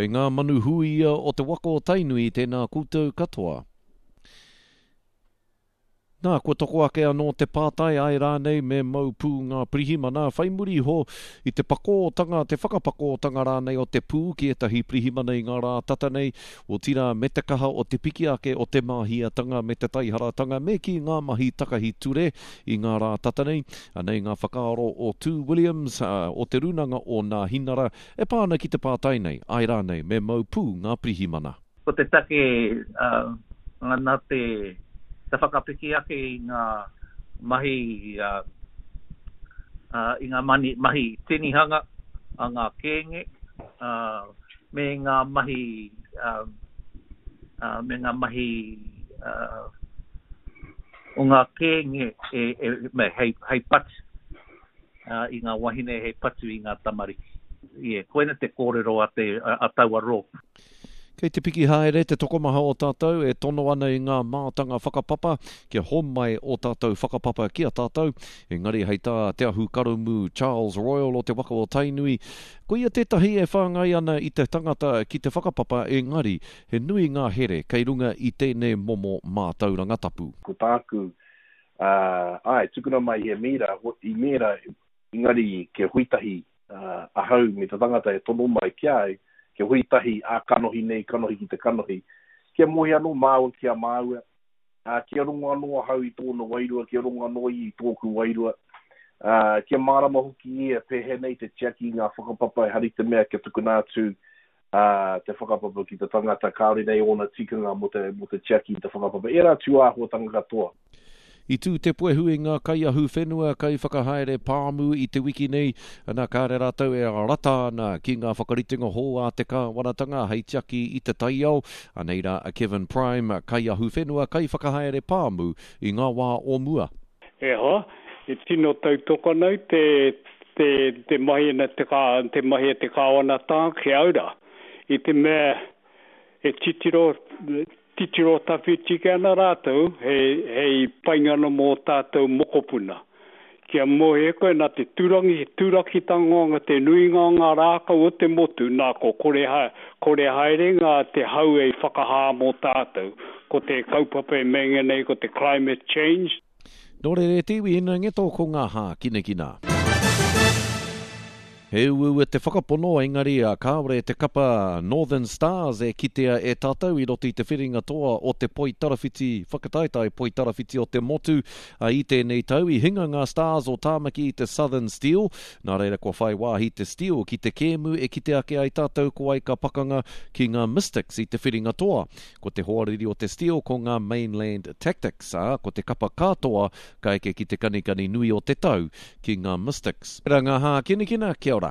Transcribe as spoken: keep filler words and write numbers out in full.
Kei ngā manu huia o te waka o Tainui tēnā koutou katoa. Nā, kua toko ake anō te pātai āe rānei me mau pū ngā pirihimana whai muri iho i te pakōtanga, te whakapakōtanga rānei o te pū ki ētahi pirihimana i ngā rā tata nei, otirā me te kaha o te piki ake o te māhiatanga me te taiharatanga me kī ngā mahi takahi ture i ngā rā tata nei. Anei ngā whakaaro o Tū Williams o Te Rūnanga o Nāhinara e pā ana ki te pātai nei, āe rānei me mau pū ngā pirihimana. Ko te take nā te whakapiki ake i ngā mahi i ngā mahi tinihanga a ngā kēnge me ngā mahi me ngā mahi o ngā kēnge hei patu i ngā wahine, hei patu i ngā tamariki. Yeah, koina te kōrero a, te, a, a taua rōpū. Kei te piki haere te tokomaha o tātou e tono ana i ngā mātanga whakapapa kia homai ō tātou whakapapa ki a tātou. Engari hei tā Te Ahukaramū Charles Royal o te waka o Tainui, ko ia tētahi e whāngai ana i te tangata ki te whakapapa engari he nui ngā here kei runga i tēnei momo mātauranga tapu. Ko tāku, āe, tukuna mai he mīra, i mēra, engari kia hui tahi ahau me te tangata e tono mai ki a au, kia hui tahi ā-kanohi nei, kanohi ki te kanohi, kia moe anō māua ki a māua, ā, kia rongo anō ahau i tōna wairua, kia rongo anō ia i tōku wairua, ā, kia mārama hoki ia pēhea nei te tiaki i ngā whakapapa, ehara i te mea kia tukuna atu ā, te whakapapa ki te tangata kāore nei ōna tikanga mō te, mō te tiaki i te whakapapa, ērā tūāhuatanga katoa. I tū te puehu i ngā kaiahuwhenua, kaiwhakahaere pāmu i te wiki nei, ana kāre rātou e rata ana ki ngā whakaritenga hou a te kāwanatanga hei tiaki i te taiao. Anei rā a Kevin Prime, kaiahuwhenua, kaiwhakahaere pāmu i ngā wā o mua. E hoa, e tino tautoko ana au te, te, te mahi ana te, te mahi a te kāwanatanga ki au rā. I te mea e titiro, titiro tawhiti ki ana rātou hei, hei painga ana mō tātou mokopuna. Kia mōhio koe nā te turangi, turakitanga te nuinga o ngā rākau o te motu, nā ko kore, ha, kore haere ngā te hau ei whakahā mō tātou. Ko te kaupapa e meinga nei ko te climate change. Nō reira e te iwi ina ngeto ko ngā hākinakina. He uaua te whakapono, engari kāore te kapa Northern Stars e kitea e tātou i roto i te whiringa toa o te poitarawhiti, whakataetae poitarawhiti o te motu. I tēnei tau i hinga ngā Stars o Tāmaki i te Southern Steel, nā reira kua whai wāhi te Steel ki te kēmu e kite ake ai tātou ko wai ka pakanga ki ngā Mystics i te whiringa toa. Ko te hoariri o te Steel ko ngā Mainland Tactics, ā, ko te kapa katoa ka eke ki te kanikani nui o te tau ki ngā Mystics. Pērā ngā hākinakina, kia ora.